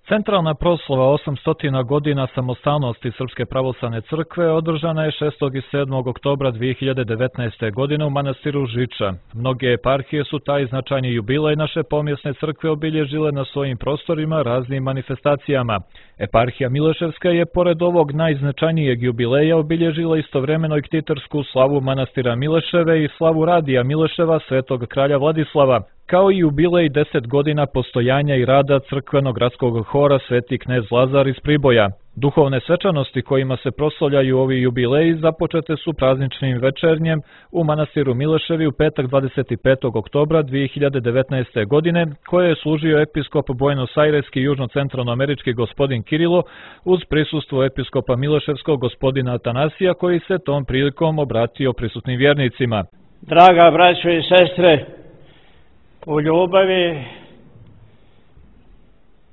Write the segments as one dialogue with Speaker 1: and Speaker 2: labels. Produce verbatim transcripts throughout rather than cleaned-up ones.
Speaker 1: Centralna proslava osamstotina godina samostalnosti Srpske pravoslavne crkve održana je šestog i sedmog oktobra dvije hiljade devetnaeste. godine u manastiru Žiča. Mnoge eparhije su taj značajni jubilej naše pomjesne crkve obilježile na svojim prostorima raznim manifestacijama. Eparhija Mileševska je pored ovog najznačajnijeg jubileja obilježila istovremeno i ktitorsku slavu manastira Mileševe i slavu radija Mileševa Svetog kralja Vladislava, kao i jubilej deset godina postojanja i rada crkvenog gradskog hora Sveti knez Lazar iz Priboja. Duhovne svečanosti kojima se proslavljaju ovi jubileji započete su prazničnim večernjem u manastiru Mileševi u petak dvadeset petog oktobra dvije hiljade devetnaeste. godine, koje je služio episkop Buenos-Aireski južno-centralnoamerički gospodin Kirilo uz prisustvo episkopa Mileševskog gospodina Atanasija, koji se tom prilikom obratio prisutnim vjernicima.
Speaker 2: Draga braćo i sestre, u ljubavi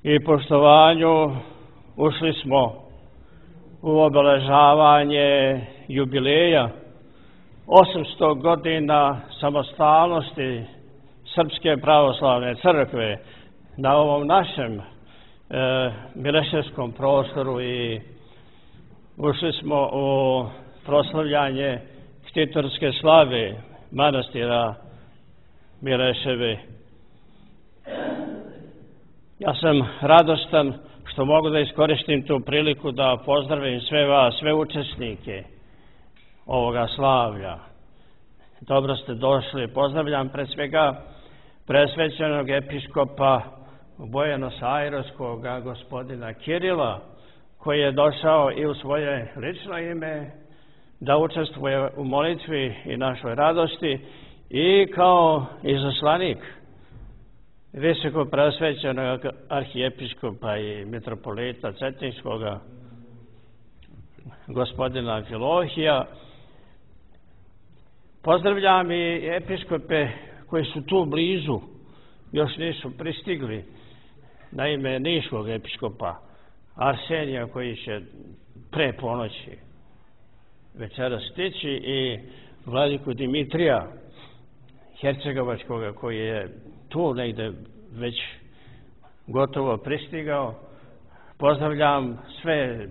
Speaker 2: i poštovanju ušli smo u obeležavanje jubileja osamsto godina samostalnosti Srpske pravoslavne crkve na ovom našem e, mileševskom prostoru i ušli smo u proslavljanje ktitorske slave manastira Mileševe. Ja sam radostan što mogu da iskoristim tu priliku da pozdravim sve vas, sve učesnike ovoga slavlja. Dobro ste došli. Pozdravljam pred svega presvećenog episkopa Buenos-Aireskog gospodina Kirila, koji je došao i u svoje lično ime da učestvuje u molitvi i našoj radosti, i kao izaslanik visoko presvećenog arhijepiskopa i mitropolita Cetinskog gospodina Amfilohija. Pozdravljam i episkope koji su tu blizu, još nisu pristigli, naime niškog episkopa Arsenija, koji će pre ponoći večeras stići, i vladiku Dimitrija Hercegovačkoga, koji je tu negde već gotovo pristigao. Pozdravljam sve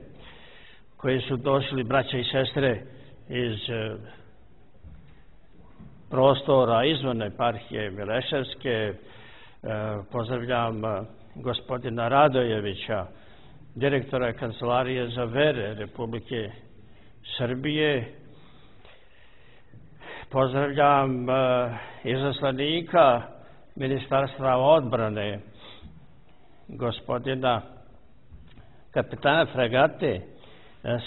Speaker 2: koji su došli, braća i sestre, iz prostora izvan eparhije Mileševske. Pozdravljam gospodina Radojevića, direktora Kancelarije za vere Republike Srbije. Pozdravljam izaslanika Ministarstva odbrane, gospodina kapetana fregate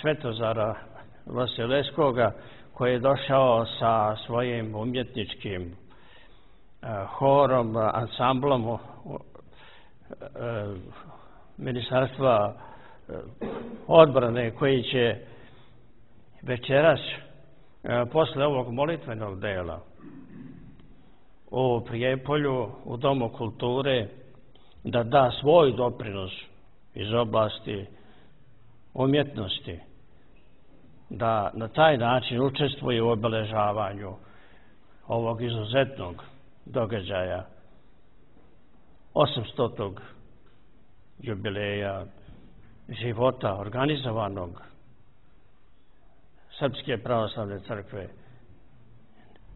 Speaker 2: Svetozara Vasilevskoga, koji je došao sa svojim umjetničkim horom, ansamblom Ministarstva odbrane, koji će večeras posle ovog molitvenog dela u Prijepolju, u Domu kulture, da da svoj doprinos iz oblasti umjetnosti, da na taj način učestvuje u obeležavanju ovog izuzetnog događaja osamstotog jubileja života organizovanog Srpske pravoslavne crkve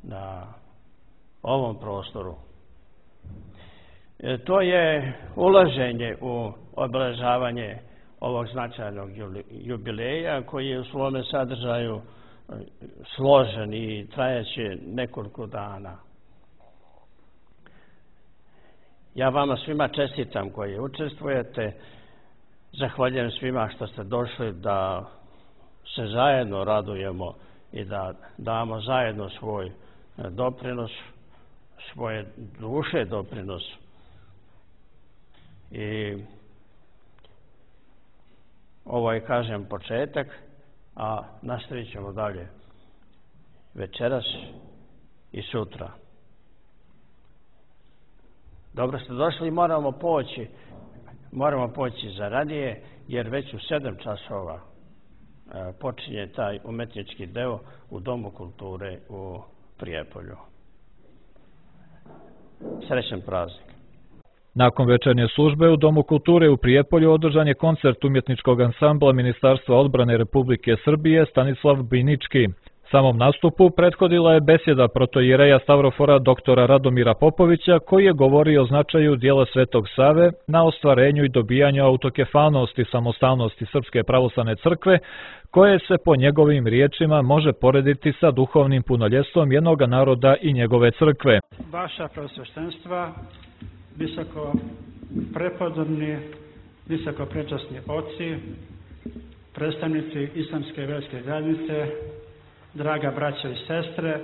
Speaker 2: na ovom prostoru. E, to je ulaženje u obeležavanje ovog značajnog jubileja, koji je u svome sadržaju složen i trajaće nekoliko dana. Ja vama svima čestitam koji učestvujete, zahvaljujem svima što ste došli da se zajedno radujemo i da damo zajedno svoj doprinos, svoje duše doprinos. I ovo je, kažem, početak, a nastavit ćemo dalje večeras i sutra. Dobro ste došli, moramo poći, moramo poći za ranije, jer već u sedam časova počinje taj umetnički deo u Domu kulture u Prijepolju. Srećan praznik.
Speaker 1: Nakon večernje službe u Domu kulture u Prijepolju održan je koncert umjetničkog ansambla Ministarstva odbrane Republike Srbije Stanislav Binički. Samom nastupu prethodila je besjeda protoijereja Stavrofora doktora Radomira Popovića, koji je govorio o značaju dijela Svetog Save na ostvarenju i dobijanju autokefalnosti i samostalnosti Srpske pravoslavne crkve, koje se po njegovim riječima može porediti sa duhovnim punoljestvom jednog naroda i njegove crkve.
Speaker 3: Vaša preosveštenstva, visoko prepodobni, visoko prečasni oci, predstavnici Islamske vjerske zajednice, draga braćo i sestre,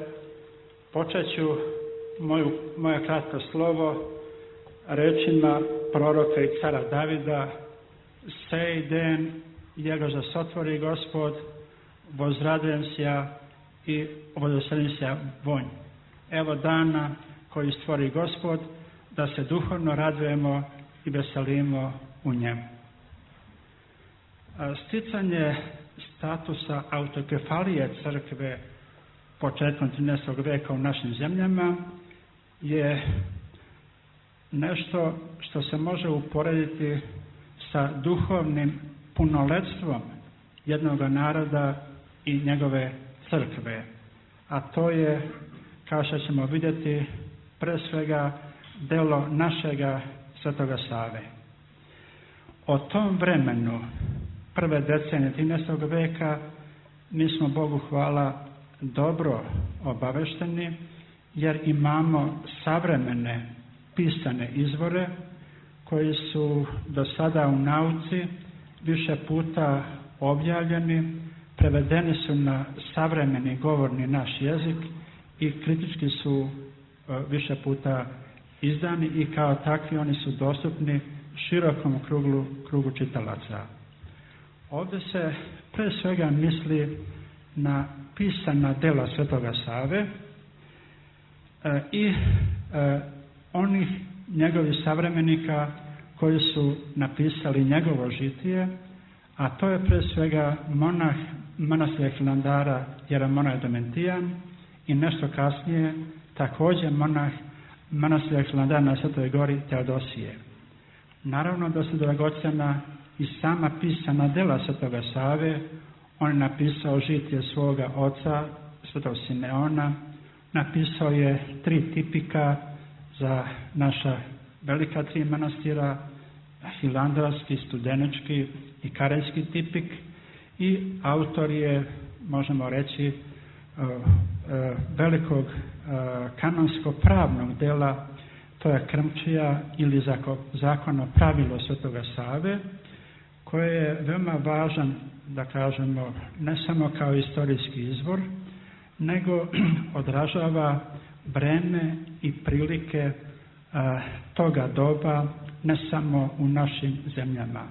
Speaker 3: počeću moju, moje kratko slovo rečima proroka i cara Davida: sej den, jego že sotvori Gospod, vozradujem se ja i vodoselim se ja vonj. Evo dana koji stvori Gospod, da se duhovno radujemo i veselimo u njemu. Sticanje statusa autokefalije crkve početkom trinaestog veka u našim zemljama je nešto što se može uporediti sa duhovnim punoletstvom jednog naroda i njegove crkve. A to je, kao što ćemo vidjeti, pre svega delo našega Svetoga Save. O tom vremenu prve decenije trinaestog veka mi smo, Bogu hvala, dobro obavešteni, jer imamo savremene pisane izvore koji su do sada u nauci više puta objavljeni, prevedeni su na savremeni govorni naš jezik i kritički su više puta izdani i kao takvi oni su dostupni širokom krugu, krugu čitalaca. Ovdje se pre svega misli na pisana dela Svetoga Save e, i e, onih njegovih savremenika koji su napisali njegovo žitije, a to je pre svega monah manastira Hilandara Jeromonaj Domentijan i nešto kasnije također monah manastira Hilandara na Svetoj gori Teodosije. Naravno da su dragocjena i sama pisana dela Svetoga Save. On je napisao žitije svoga oca, Svetog Simeona, napisao je tri tipika za naša velika tri manastira, Hilandarski, Studenički i Karejski tipik, i autor je, možemo reći, velikog kanonsko-pravnog dela, to je Krmčija ili zakonno pravilo Svetoga Save, koje je veoma važan, da kažemo, ne samo kao istorijski izvor, nego odražava breme i prilike a, toga doba, ne samo u našim zemljama.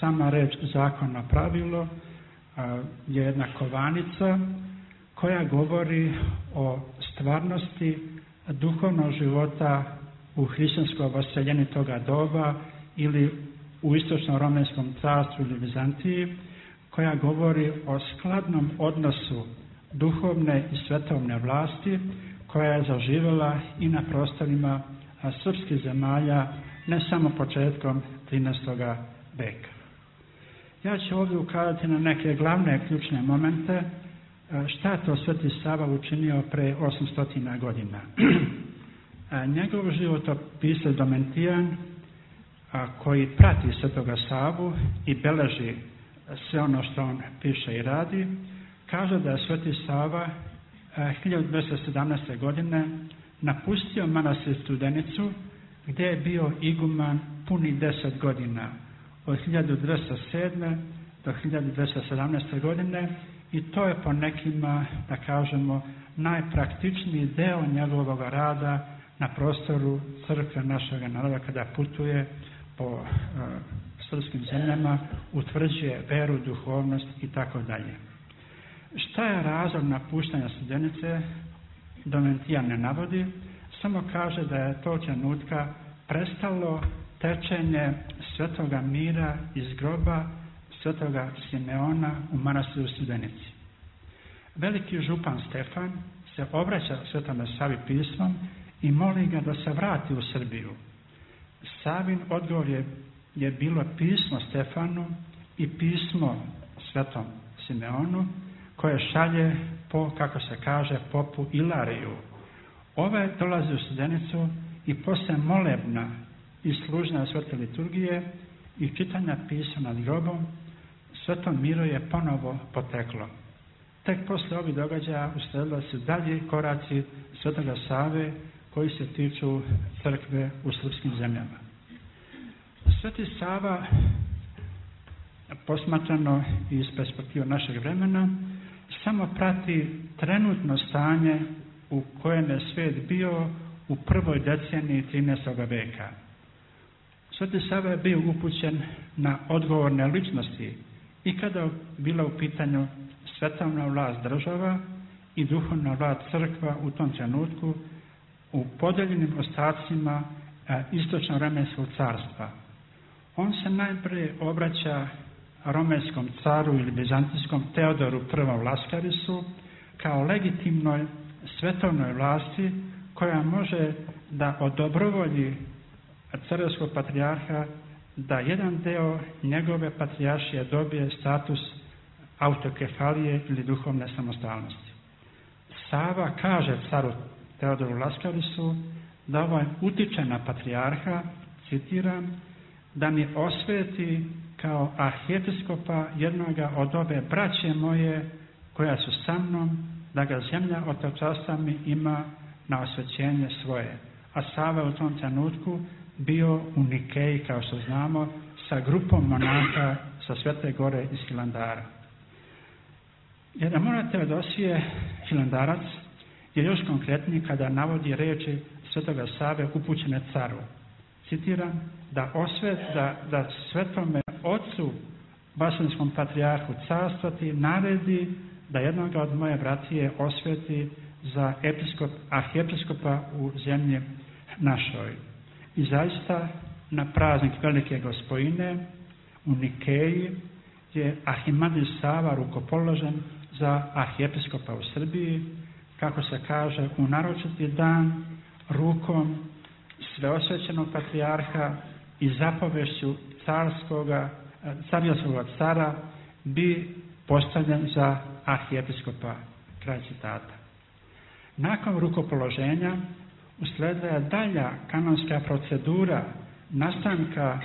Speaker 3: Sama reč zakonno pravilo a, je jedna kovanica koja govori o stvarnosti duhovnog života u hrišćanskoj vaseljeni toga doba ili u istočnom Romenskom carstvu ili Vizantiji, koja govori o skladnom odnosu duhovne i svetovne vlasti koja je zaživjela i na prostorima srpskih zemalja ne samo početkom trinaestog veka. Ja ću ovdje ukazati na neke glavne ključne momente šta je to Sveti Sava učinio pre osamsto godina. Njegov životopis Domentijan, koji prati Svetoga Savu i beleži sve ono što on piše i radi, kaže da je Sveti Sava hiljadu dvesta sedamnaeste. godine napustio manastir Studenicu, gdje je bio iguman punih deset godina, od hiljadu dvesta sedme. do hiljadu dvesta sedamnaeste. godine, i to je po nekima, da kažemo, najpraktičniji deo njegovog rada na prostoru crkve našega naroda, kada putuje po uh, srpskim zemljama, utvrđuje veru, duhovnost i tako dalje. Šta je razlog napuštanja Studenice, Domentijan ne navodi, samo kaže da je to trenutka prestalo tečenje svetoga mira iz groba Svetoga Simeona u manastiru Studenici. Veliki župan Stefan se obraća Svetome Savi pismom i moli ga da se vrati u Srbiju. Savin odgovor je, je bilo pismo Stefanu i pismo svetom Simeonu, koje šalje po, kako se kaže, popu Ilariju. Ovaj dolazi u Studenicu i posle molebna i služenja svete liturgije i čitanja pisma nad grobom, sveto miro je ponovo poteklo. Tek posle ovih događaja usledili su dalji koraci Svetoga Save koji se tiču crkve u srpskim zemljama. Sveti Sava, posmatrano iz perspektive našeg vremena, samo prati trenutno stanje u kojem je svijet bio u prvoj deceniji trinaestog veka. Sveti Sava je bio upućen na odgovorne ličnosti i kada je bila u pitanju svetovna vlast država i duhovna vlast crkva u tom trenutku u podeljenim ostacima istočno-remenskog carstva. On se najprije obraća romejskom caru ili bizantijskom Teodoru prvom Laskarisu kao legitimnoj svetovnoj vlasti koja može da odobrovolji carevskog patrijarha da jedan deo njegove patrijaršije dobije status autokefalije ili duhovne samostalnosti. Sava kaže caru Teodoru Laskarisu da ovaj utiče na patrijarha, citiram, da mi osveti kao arhijepiskopa jednoga od ove braće moje koja su sa mnom, da ga zemlja otočastva mi ima na osvećenje svoje. A Sava u tom trenutku bio u Nikeji, kao što znamo, sa grupom monaha sa Svete Gore iz Hilandara. Jeramona Teodosije, Hilandarac, je još konkretniji kada navodi reči Svetoga Save upućene caru. Citiram, da, osvet, da, da svetome ocu, Vaseljinskom patrijarhu carstati, naredi da jednoga od moje bratije osveti za episkop, arhijepiskopa u zemlji našoj. I zaista na praznik Velike Gospojine u Nikeji je Arhimandris Sava rukopoložen za arhijepiskopa u Srbiji, kako se kaže, u naročiti dan rukom sveosvećenog patrijarha i zapovešću carskoga, carjevskoga cara bi postavljen za arhijepiskopa. Kraj citata. Nakon rukopoloženja usledila je dalja kanonska procedura nastanka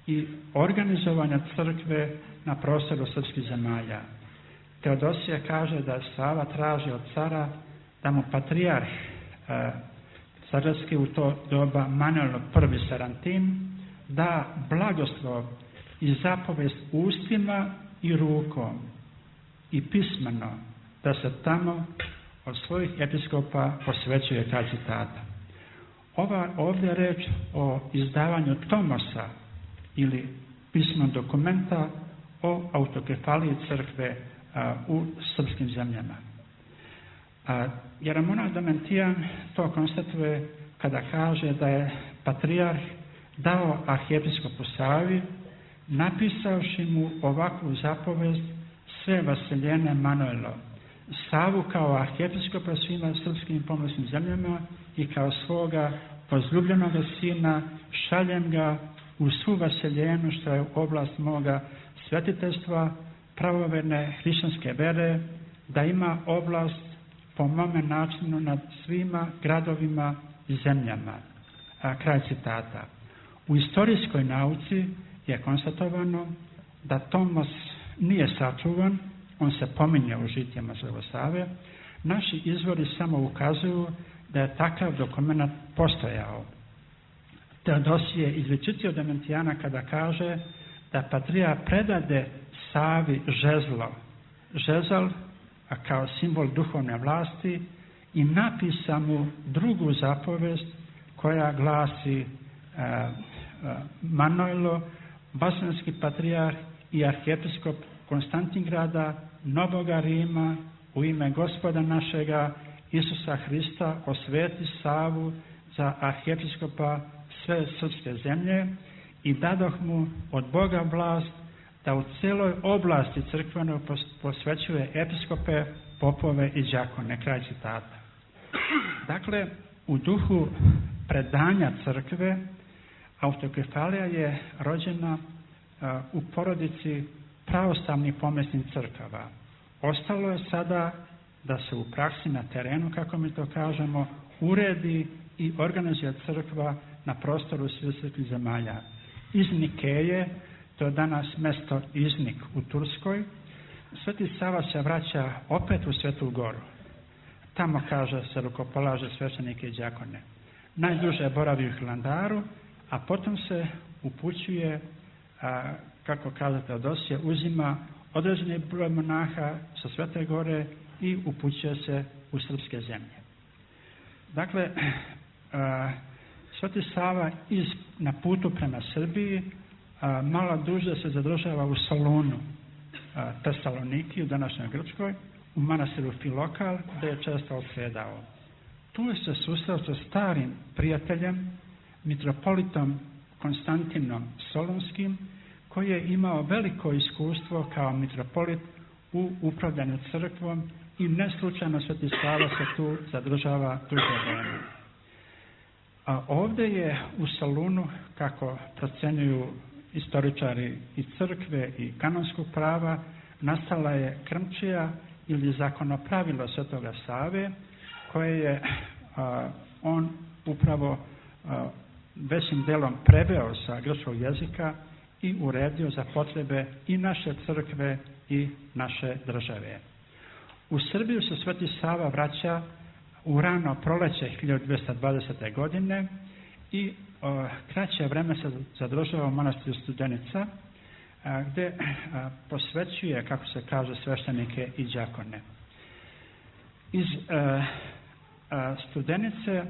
Speaker 3: i organizovanja crkve na prostoru srpskih zemalja. Teodosija kaže da Sava traži od cara da mu patrijarh e, carevski u to doba Manuel prvi Sarantin da blagoslov i zapovest ustima i rukom i pismeno da se tamo od svojih episkopa posvećuje. Kraj citata. Ova ovdje reč o izdavanju tomosa ili pismenog dokumenta o autokefaliji crkve a, u srpskim zemljama. A, Jeromonah Domentijan to konstatuje kada kaže da je patrijarh dao arhijepiskopu Savi, napisavši mu ovakvu zapovest sve Vaseljene Manuelo, Savu kao arhijepiskopa svima srpskim pomorskim zemljama i kao svoga pozljubljenog sina šaljem ga u svu Vaseljenu što je oblast moga svetiteljstva, pravoverne hrišćanske vere, da ima oblast po mome načinu nad svima gradovima i zemljama. A, kraj citata. U istorijskoj nauci je konstatovano da tomos nije sačuvan, on se pominje u žitijama Svetog Save. Naši izvori samo ukazuju da je takav dokument postojao. Teodosije izričitio Dementijana kada kaže da patrija predade Savi žezlo, žezal a kao simbol duhovne vlasti i napisa mu drugu zapovest koja glasi e, e, Manojlo, Vaseljenski patrijarh i arhijepiskop Konstantingrada, Novoga Rima, u ime Gospoda našega Isusa Hrista osveti Savu za arhijepiskopa sve srpske zemlje i dadoh mu od Boga vlast da u celoj oblasti crkvenoj posvećuje episkope, popove i đakone. Kraj citata. Dakle, u duhu predanja crkve autokefalija je rođena u porodici pravoslavnih pomesnih crkava. Ostalo je sada da se u praksi na terenu, kako mi to kažemo, uredi i organizuje crkva na prostoru svih zemalja. Iz Nikeje, to je danas mjesto Iznik u Turskoj, Sveti Sava se vraća opet u Svetu Goru. Tamo, kaže, se rukopolaže sveštenike i đakone. Najduže boravi u Hilandaru, a potom se upućuje, a, kako kaže Teodosije, uzima određeni broj monaha sa Svete Gore i upućuje se u srpske zemlje. Dakle, a, Sveti Sava iz, na putu prema Srbiji a, malo duže se zadržava u Solunu, a, Tesaloniki, u današnjoj Grčkoj, u manastiru Filokal, gdje je često odsedao. Tu je se susreo sa starim prijateljem, mitropolitom Konstantinom Solunskim, koji je imao veliko iskustvo kao mitropolit u upravljanju crkvom i neslučajno Sveti Sava se tu zadržava duže vreme. A ovdje je u Solunu, kako procenjuju istoričari i crkve i kanonskog prava, nastala je krmčija ili zakonopravilo Svetoga Save, koje je a, on upravo a, većim delom preveo sa grčkog jezika i uredio za potrebe i naše crkve i naše države. U Srbiju se Sveti Sava vraća u rano proleće hiljadu dvesta dvadesete. godine i a, kraće vreme se zadržava u manastiru Studenica, a, gdje a, posvećuje, kako se kaže, sveštenike i đakone. Iz a, a, Studenice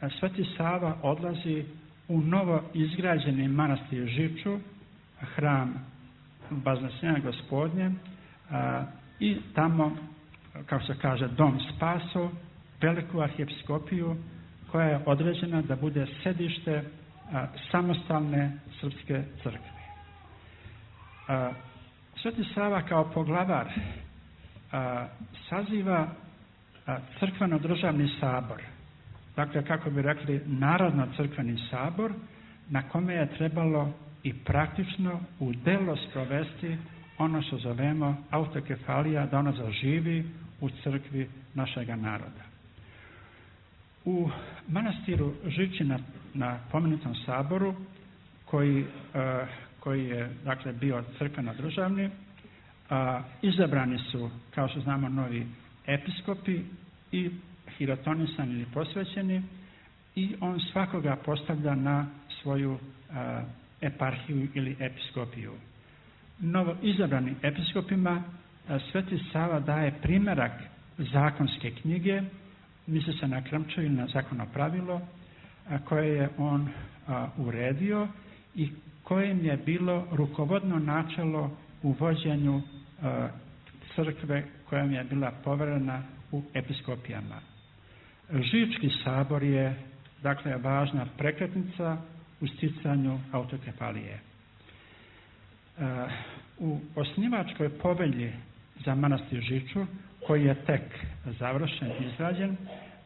Speaker 3: a, Sveti Sava odlazi u novo izgrađeni manastir Žiču, hram Baznesnjena Gospodnje, a, i tamo, kako se kaže, dom Spaso, veliku arhijepiskopiju koja je određena da bude sedište a, samostalne srpske crkve. A, Sveti Sava kao poglavar a, saziva a, crkveno-državni sabor, dakle, kako bi rekli, narodno-crkveni sabor, na kome je trebalo i praktično u delo sprovesti ono što zovemo autokefalija, da ona zaživi u crkvi našega naroda. U manastiru Žiči na, na pomenutom saboru, koji, a, koji je, dakle, bio crkveno-državni, a, izabrani su, kao što znamo, novi episkopi i hirotonisan ili posvećeni, i on svakoga postavlja na svoju a, eparhiju ili episkopiju. Novo izabranim episkopima a, Sveti Sava daje primjerak zakonske knjige, misli se na krmču ili na zakonopravilo, a, koje je on a, uredio i kojem je bilo rukovodno načelo u vođenju a, crkve kojom je bila poverena u episkopijama. Žički sabor je, dakle, važna prekretnica u sticanju autokefalije. U osnivačkoj povelji za manastir Žiču, koji je tek završen i izrađen,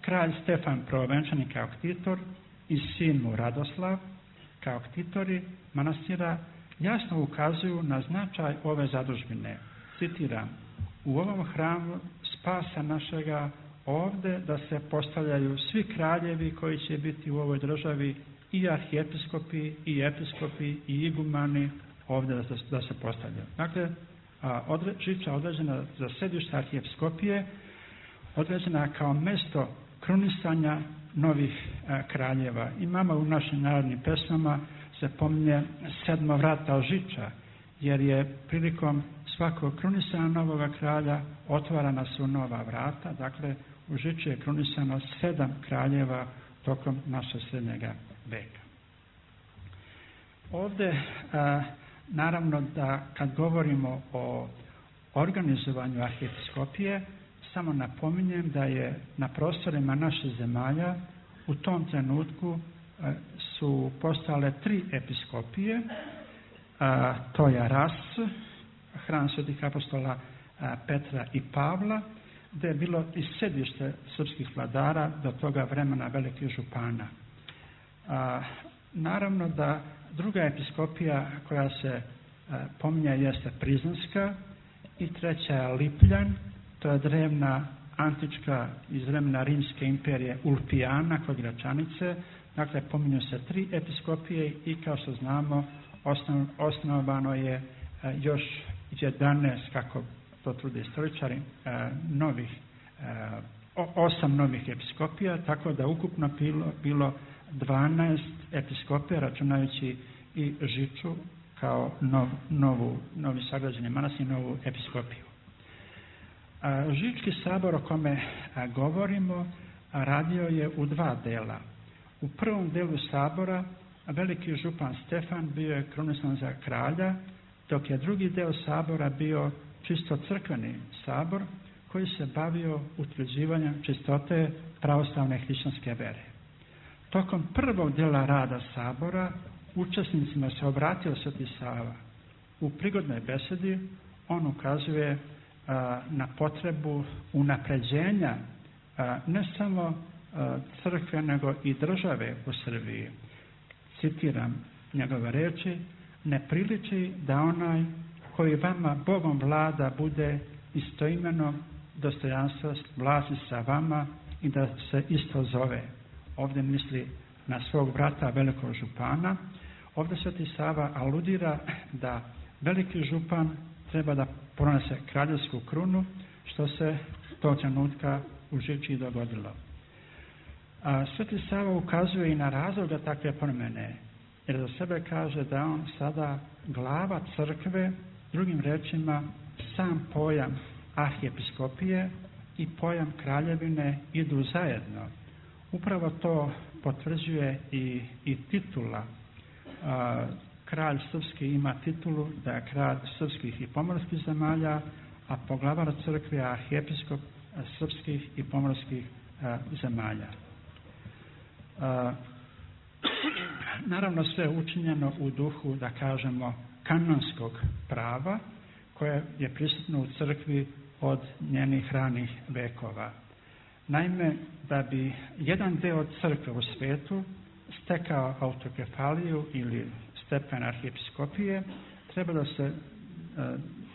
Speaker 3: kralj Stefan Prvovenčani kao ktitor i sin mu Radoslav kao ktitori manastira jasno ukazuju na značaj ove zadužbine. Citiram: u ovom hramu spasa našega ovdje da se postavljaju svi kraljevi koji će biti u ovoj državi, i arhijepiskopi, i episkopi, i igumani ovdje da se, da se postavljaju. Dakle, odre, Žiča određena za sedište arhijepiskopije, određena kao mjesto krunisanja novih a, kraljeva. Imamo u našim narodnim pesmama se pominje sedmo vrata Žiča, jer je prilikom svakog krunisanja novoga kralja otvarana su nova vrata. Dakle, u Žiči je krunisano sedam kraljeva tokom našeg srednjega veka. Ovdje, a, naravno, da kad govorimo o organizovanju arhijepiskopije, samo napominjem da je na prostorima naših zemalja u tom trenutku a, su postale tri episkopije, a, to je Ras, hram svetih apostola a, Petra i Pavla, gdje je bilo i sedište srpskih vladara, do toga vremena velikih župana. A, naravno da druga episkopija koja se pominje jeste Prizrenska i treća je Lipljan, to je drevna antička iz vremena Rimske imperije Ulpijana kod Gračanice. Dakle, pominju se tri episkopije i kao što znamo osnov, osnovano je još jedanaest, kako to trude istoričari, novih, osam novih episkopija, tako da ukupno bilo, bilo dvanaest episkopija, računajući i Žiču kao nov, novu, novi sagrađeni manastir, novu episkopiju. Žički sabor o kome govorimo radio je u dva dela. U prvom delu sabora veliki župan Stefan bio je krunisan za kralja, dok je drugi deo sabora bio čisto crkveni sabor koji se bavio utvrđivanjem čistote pravoslavne hrišćanske vere. Tokom prvog dela rada sabora učesnicima se obratio Sveti Sava. U prigodnoj besedi on ukazuje a, na potrebu unapređenja a, ne samo a, crkve nego i države u Srbiji. Citiram njegove reči: ne priliči da onaj koji vama Bogom vlada bude istoimeno dostojanstvo vlasti sa vama i da se isto zove. Ovdje misli na svog brata velikog župana. Ovdje Sveti Sava aludira da veliki župan treba da pronese kraljevsku krunu, što se tog trenutka u Žiči dogodilo. A Sveti Sava ukazuje i na razloga takve promjene, jer za sebe kaže da on sada glava crkve, drugim rečima sam pojam arhiepiskopije i pojam kraljevine idu zajedno. Upravo to potvrđuje i, i titula. A, kralj srpski ima titulu da je kralj srpskih i pomorskih zemalja, a poglavar crkve je arhiepiskop srpskih i pomorskih a, zemalja. A, naravno sve je učinjeno u duhu, da kažemo, kanonskog prava koje je prisutno u crkvi od njenih ranih vekova. Naime, da bi jedan deo crkve u svijetu stekao autokefaliju ili stepen arhiepiskopije, treba da se,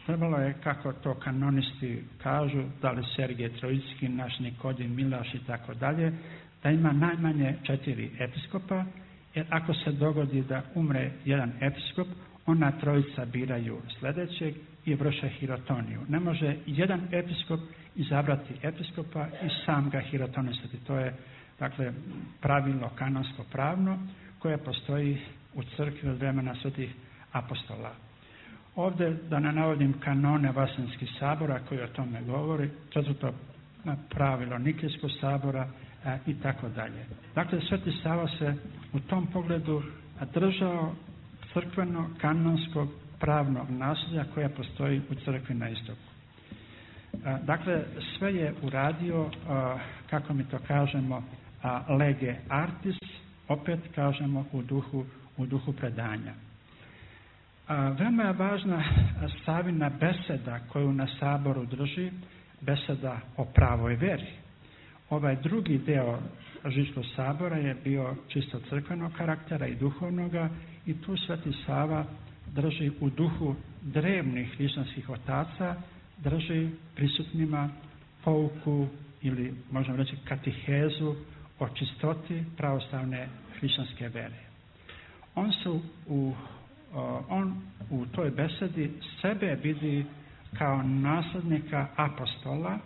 Speaker 3: trebalo je, kako to kanonisti kažu, da li Sergije Trojicki, naš Nikodim Milaš i tako dalje, da ima najmanje četiri episkopa, jer ako se dogodi da umre jedan episkop, ona trojica biraju sljedećeg i vrše hirotoniju. Ne može jedan episkop izabrati episkopa i sam ga hirotonisati. To je, dakle, pravilo kanonsko pravno koje postoji u crkvi od vremena svetih apostola. Ovdje, da ne navodim kanone Vaseljenskih sabora koji o tome govori, četvrto pravilo Nikejskog sabora a, i tako dalje. Dakle, Sveti Sava se u tom pogledu držao crkveno kanonskog pravnog nasljeđa koje postoji u crkvi na istoku. Dakle, sve je uradio, kako mi to kažemo, lege artis, opet kažemo u duhu, u duhu predanja. Veoma je važna Savina beseda koju na saboru drži, beseda o pravoj veri. Ovaj drugi deo Žičkog sabora je bio čisto crkvenog karaktera i duhovnoga i tu Sveti Sava drži u duhu drevnih hrišćanskih otaca, drži prisutnima pouku ili možemo reći katehezu o čistoti pravoslavne hrišćanske vere. On, su u, on u toj besedi sebe vidi kao naslednika apostola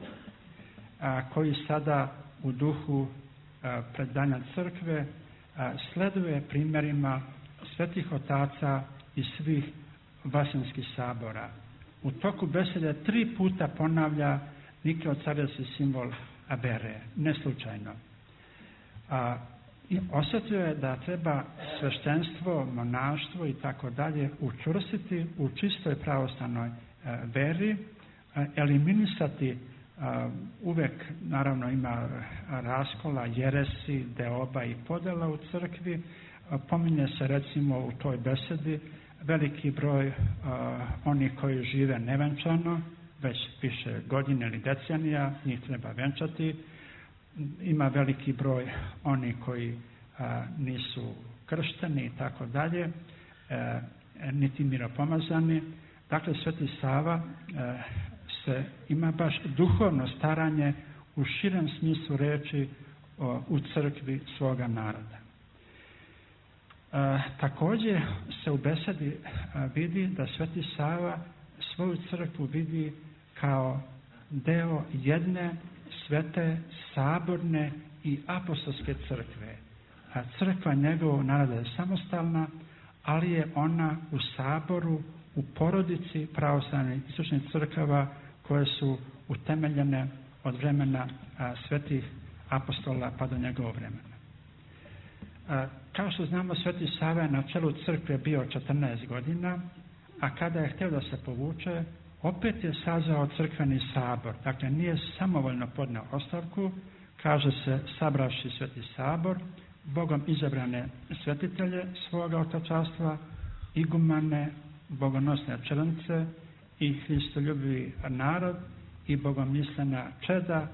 Speaker 3: a, koji sada u duhu a, predanja crkve a, sleduje primjerima svetih otaca i svih vaseljenskih sabora. U toku besede tri puta ponavlja Nikeo Carevski simbol vere, ne slučajno. A, i osjetio je da treba sveštenstvo, monaštvo i tako dalje učvrstiti u čistoj pravoslavnoj a, veri, a, eliminisati, a, uvek naravno ima raskola, jeresi, deoba i podela u crkvi. A, pominje se recimo u toj besedi veliki broj uh, onih koji žive nevenčano, već više godine ili decenija, njih treba venčati. Ima veliki broj onih koji uh, nisu kršteni i tako dalje, niti miropomazani. Dakle, Sveti Sava se ima baš duhovno staranje u širem smislu reči u crkvi svoga naroda. Također se u besedi vidi da Sveti Sava svoju crkvu vidi kao deo jedne svete, saborne i apostolske crkve. Crkva njegovog naroda je samostalna, ali je ona u saboru, u porodici pravoslavnih istočnih crkava koje su utemeljene od vremena svetih apostola pa do njegovog vremena. Kao što znamo, Sveti Sava je na čelu crkve bio četrnaest godina, a kada je htio da se povuče, opet je sazvao crkveni sabor. Dakle, nije samovoljno podneo ostavku, kaže se sabravši Sveti sabor, Bogom izabrane svetitelje svoga otočanstva, igumane, bogonosne čelnice i hristoljubivi narod i bogomislena čeda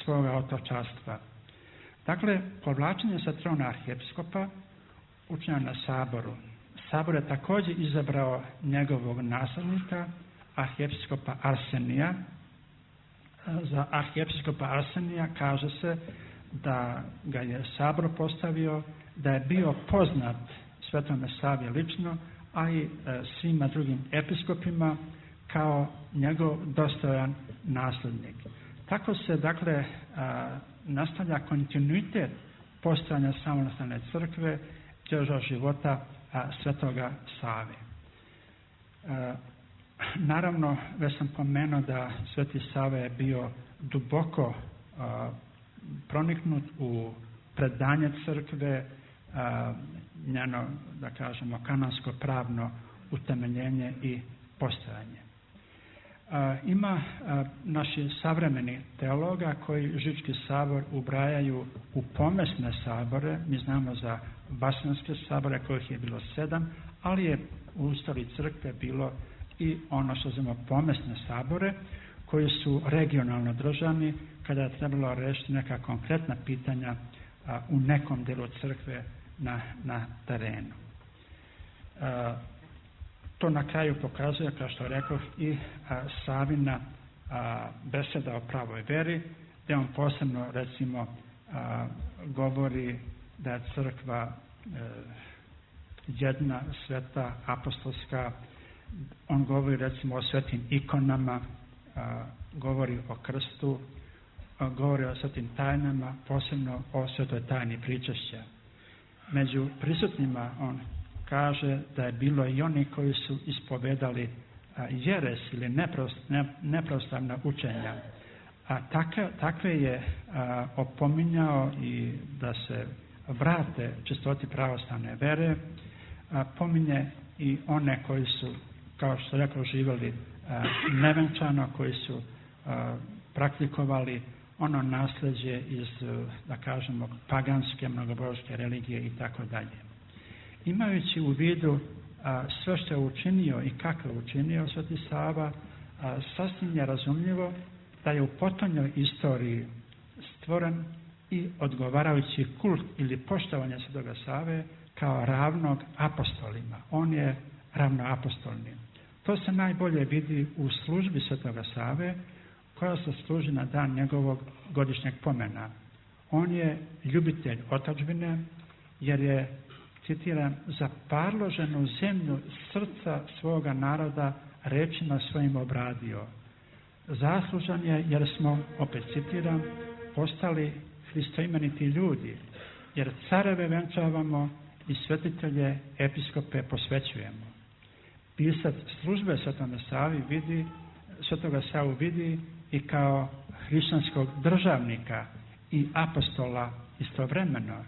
Speaker 3: svoga otočanstva. Dakle, povlačenje sa trona arhijepiskopa učinjeno na saboru. Sabor je također izabrao njegovog nasljednika, arhijepiskopa Arsenija. Za arhijepiskopa Arsenija kaže se da ga je sabor postavio, da je bio poznat Svetome Savi lično, a i svima drugim episkopima kao njegov dostojan nasljednik. Tako se, dakle, nastavlja kontinuitet postojanja samostalne crkve tijekom života Svetoga Save. Naravno, već sam pomenuo da Sveti Sava je bio duboko proniknut u predanje crkve, njeno, da kažemo, kanonsko pravno utemeljenje i postojanje. Ima naši savremeni teologa koji Žički sabor ubrajaju u pomesne sabore. Mi znamo za Vaseljenske sabore kojih je bilo sedam, ali je u istoriji crkve bilo i ono što zovemo pomesne sabore koji su regionalno državni kada je trebalo rešiti neka konkretna pitanja a, u nekom delu crkve na, na terenu. A, to na kraju pokazuje, kao što rekoh, i a, Savina a, beseda o pravoj veri, gdje on posebno, recimo, a, govori da je crkva a, jedna, sveta, apostolska. On govori, recimo, o svetim ikonama, a, govori o krstu, a, govori o svetim tajnama, posebno o svetoj tajni pričašća. Među prisutnima on kaže da je bilo i oni koji su ispovedali a, jeres ili neprost, ne, neprostavna učenja. A taka, takve je a, opominjao i da se vrate čistoti pravoslavne vere, a, pominje i one koji su, kao što rekao, živjeli a, nevenčano, koji su a, praktikovali ono nasljeđe iz, da kažemo, paganske, mnogobožke religije i tako dalje. Imajući u vidu a, sve što je učinio i kako je učinio Sveti Sava, a, sasvim je razumljivo da je u potonjoj istoriji stvoren i odgovarajući kult ili poštovanje Svetoga Save kao ravnog apostolima. On je ravnoapostolni. To se najbolje vidi u službi Svetoga Save, koja se služi na dan njegovog godišnjeg pomena. On je ljubitelj otadžbine, jer je, citiram, za parloženu zemlju srca svoga naroda rečima svojim obradio. Zaslužan je jer smo, opet citiram, postali hristoimeniti ljudi, jer careve venčavamo i svetitelje episkope posvećujemo. Pisac službe Svetome Savi vidi, Svetoga Savu vidi i kao hrišćanskog državnika i apostola istovremeno,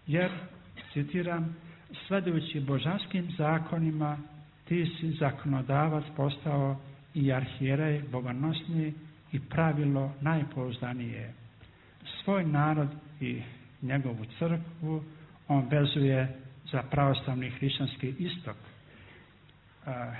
Speaker 3: jer, citiram, sledujući božanskim zakonima, ti si zakonodavac postao i arhijerej bogonosni i pravilo najpouzdanije. Svoj narod i njegovu crkvu on vezuje za pravoslavni hrišćanski istok. A,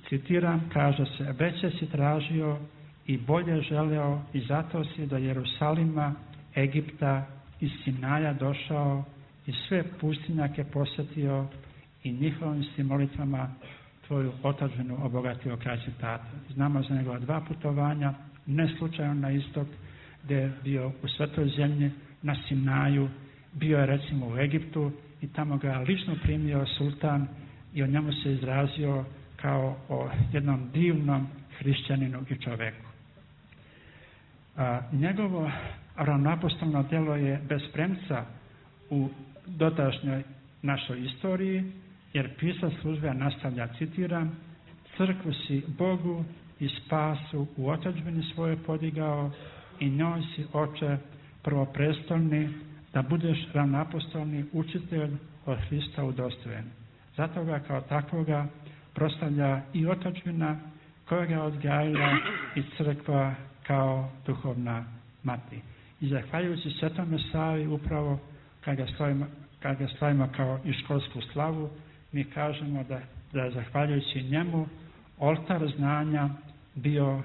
Speaker 3: citiram, kaže se, veće si tražio i bolje želeo i zato si do Jerusalima, Egipta i Sinaja došao i sve pustinjake posjetio i njihovim si molitvama tvoju otadžbinu obogatio. Kraj citata. Znamo za njegova dva putovanja, ne slučajno na istok, gdje je bio u Svetoj zemlji, na Sinaju, bio je recimo u Egiptu i tamo ga lično primio sultan i o njemu se izrazio kao o jednom divnom hrišćaninu i čoveku. A, njegovo ravnoapostolno djelo je bez premca u dotašnjoj našoj istoriji, jer pisac službe nastavlja, citiram, crkvu si Bogu i spasu u otadžbini svoje podigao i njoj si, Oče, prvoprestolni, da budeš ravnoapostolni učitelj od Hrista udostojen. Zato ga kao takvoga proslavlja i otadžbina koja ga odgajila i crkva kao duhovna mati. I zahvaljujući Svetome Savi, upravo kad ga slavimo, kad ga slavimo kao i školsku slavu, mi kažemo da, da zahvaljujući njemu oltar znanja bio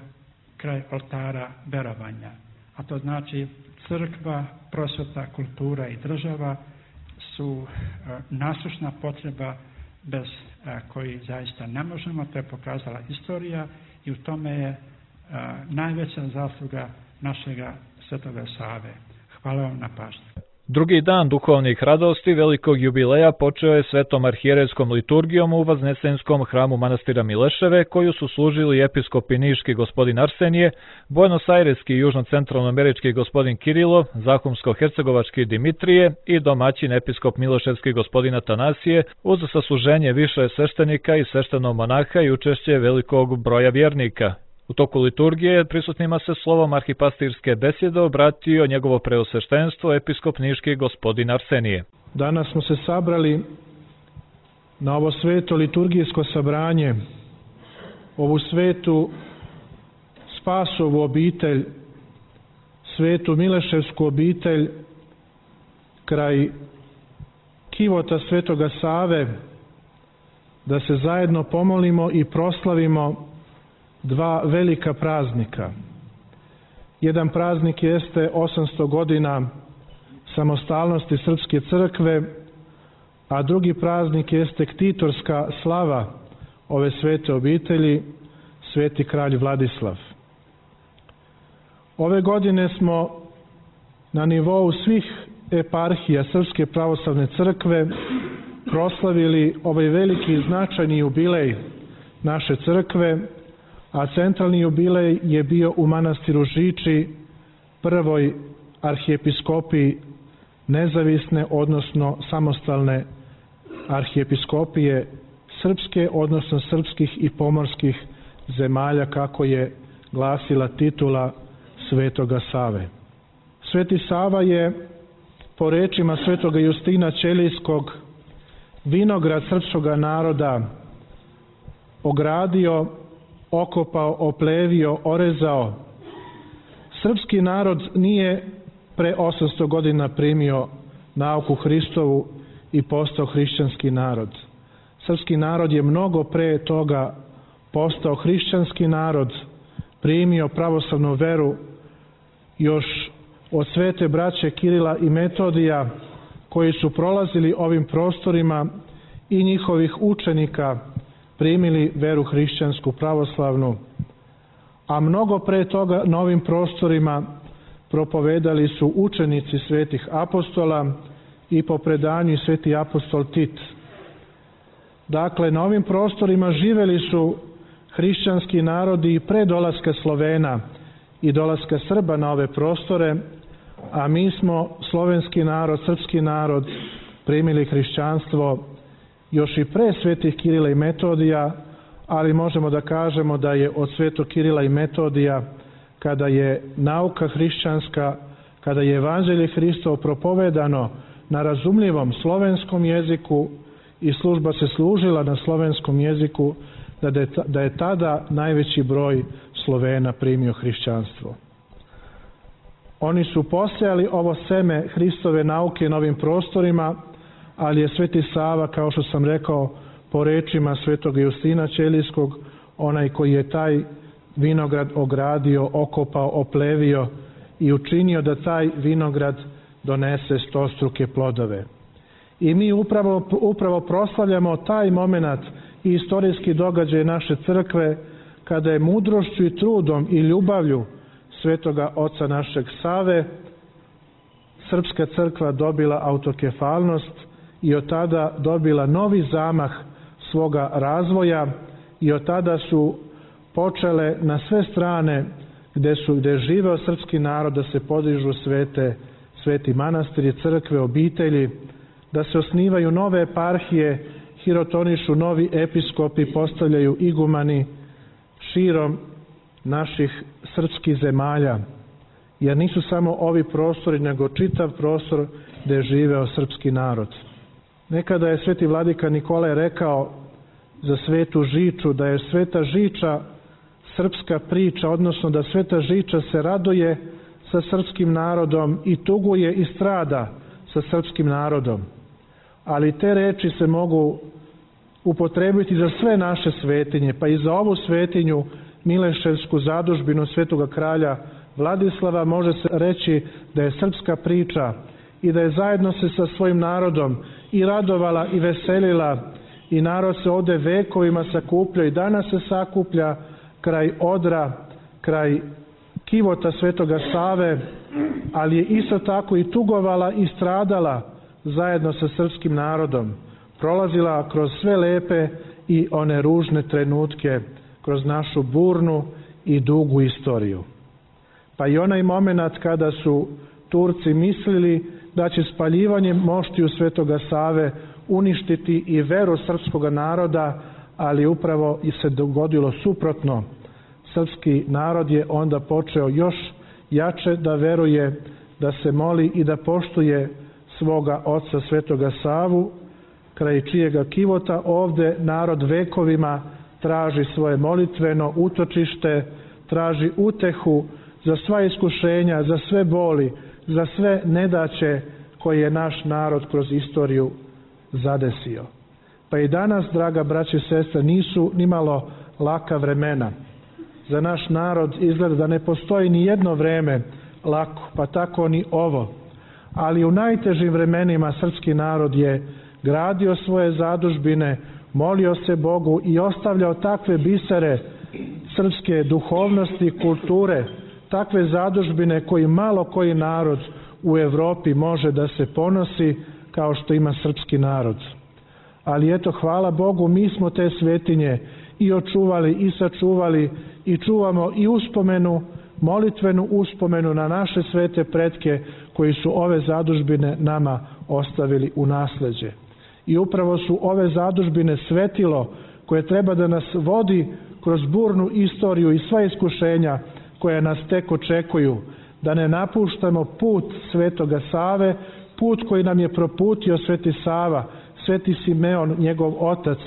Speaker 3: kraj oltara verovanja. A to znači crkva, prosveta, kultura i država su e, nasušna potreba bez e, koji zaista ne možemo. To je pokazala istorija i u tome je e, najveća zasluga našega Svetoga Save. Hvala vam na pažnju.
Speaker 1: Drugi dan duhovnih radosti velikog jubileja počeo je svetom arhijerejskom liturgijom u Vaznesenskom hramu manastira Mileševe, koju su služili episkopi niški gospodin Arsenije, buenosajreski i južno-centralnoamerički gospodin Kirilo, zahumsko-hercegovački Dimitrije i domaćin episkop mileševski gospodin Atanasije, uz sasluženje više sveštenika i sveštenog monaha i učešće velikog broja vjernika. U toku liturgije prisutnima se slovom arhipastirske besjede obratio njegovo preosveštenstvo episkop niški gospodin Arsenije.
Speaker 4: Danas smo se sabrali na ovo sveto liturgijsko sabranje, ovu svetu spasovu obitelj, svetu mileševsku obitelj kraj kivota Svetoga Save, da se zajedno pomolimo i proslavimo dva velika praznika. Jedan praznik jeste osamsto godina samostalnosti Srpske crkve, a drugi praznik jeste ktitorska slava ove svete obitelji, sveti kralj Vladislav. Ove godine smo na nivou svih eparhija Srpske pravoslavne crkve proslavili ovaj veliki i značajni jubilej naše crkve, a centralni jubilej je bio u manastiru Žiči, prvoj arhijepiskopiji nezavisne, odnosno samostalne arhijepiskopije srpske, odnosno srpskih i pomorskih zemalja, kako je glasila titula Svetoga Save. Sveti Sava je, po rečima svetoga Justina Ćelijskog, vinograd srpskoga naroda ogradio, okopao, oplevio, orezao. Srpski narod nije pre osamsto godina primio nauku Hristovu i postao hrišćanski narod. Srpski narod je mnogo pre toga postao hrišćanski narod, primio pravoslavnu veru još od svete braće Kirila i Metodija, koji su prolazili ovim prostorima, i njihovih učenika primili veru hrišćansku pravoslavnu, a mnogo pre toga na ovim prostorima propovedali su učenici svetih apostola i po predanju sveti apostol Tit. Dakle, na ovim prostorima živeli su hrišćanski narodi i pre dolaska Slovena i dolaska Srba na ove prostore, a mi smo slovenski narod, srpski narod, primili hrišćanstvo još i pre svetih Kirila i Metodija, ali možemo da kažemo da je od svetog Kirila i Metodija, kada je nauka hrišćanska, kada je evanđelje Hristovo propovedano na razumljivom slovenskom jeziku i služba se služila na slovenskom jeziku, da je tada najveći broj Slovena primio hrišćanstvo. Oni su posejali ovo seme Hristove nauke na ovim prostorima, ali je Sveti Sava, kao što sam rekao, po rečima svetog Justina Ćelijskog, onaj koji je taj vinograd ogradio, okopao, oplevio i učinio da taj vinograd donese stostruke plodove. I mi upravo, upravo proslavljamo taj moment i istorijski događaj naše crkve, kada je mudrošću i trudom i ljubavlju svetoga oca našeg Save srpska crkva dobila autokefalnost i od tada dobila novi zamah svoga razvoja i od tada su počele na sve strane gde su gde je živeo srpski narod da se podižu svete, sveti manastiri, crkve, obitelji, da se osnivaju nove eparhije, hirotonišu novi episkopi, postavljaju igumani širom naših srpskih zemalja, jer nisu samo ovi prostori, nego čitav prostor gde je živeo srpski narod. Nekada je sveti vladika Nikolaj rekao za svetu Žiču da je sveta Žiča srpska priča, odnosno da sveta Žiča se raduje sa srpskim narodom i tuguje i strada sa srpskim narodom. Ali te reči se mogu upotrebiti za sve naše svetinje, pa i za ovu svetinju Mileševsku zadužbinu svetoga kralja Vladislava može se reći da je srpska priča i da je zajedno se sa svojim narodom i radovala i veselila i narod se ovde vekovima sakuplja i danas se sakuplja kraj Odra, kraj kivota svetoga Save, ali je isto tako i tugovala i stradala zajedno sa srpskim narodom, prolazila kroz sve lepe i one ružne trenutke, kroz našu burnu i dugu istoriju. Pa i onaj moment kada su Turci mislili da će spaljivanjem moštiju svetoga Save uništiti i veru srpskoga naroda, ali upravo i se dogodilo suprotno. Srpski narod je onda počeo još jače da veruje, da se moli i da poštuje svoga oca svetoga Savu, kraj čijega kivota ovde narod vekovima traži svoje molitveno utočište, traži utehu za sva iskušenja, za sve boli, za sve nedaće koje je naš narod kroz istoriju zadesio. Pa i danas, draga braće i sestre, nisu nimalo laka vremena. Za naš narod izgleda da ne postoji ni jedno vreme lako, pa tako ni ovo. Ali u najtežim vremenima srpski narod je gradio svoje zadužbine, molio se Bogu i ostavljao takve bisere srpske duhovnosti i kulture, takve zadužbine koji malo koji narod u Evropi može da se ponosi kao što ima srpski narod. Ali eto, hvala Bogu, mi smo te svetinje i očuvali i sačuvali i čuvamo i uspomenu, molitvenu uspomenu na naše svete pretke koji su ove zadužbine nama ostavili u nasleđe. I upravo su ove zadužbine svetilo koje treba da nas vodi kroz burnu istoriju i sva iskušenja koja nas tek očekuju, da ne napuštamo put svetoga Save, put koji nam je proputio sveti Sava, sveti Simeon, njegov otac,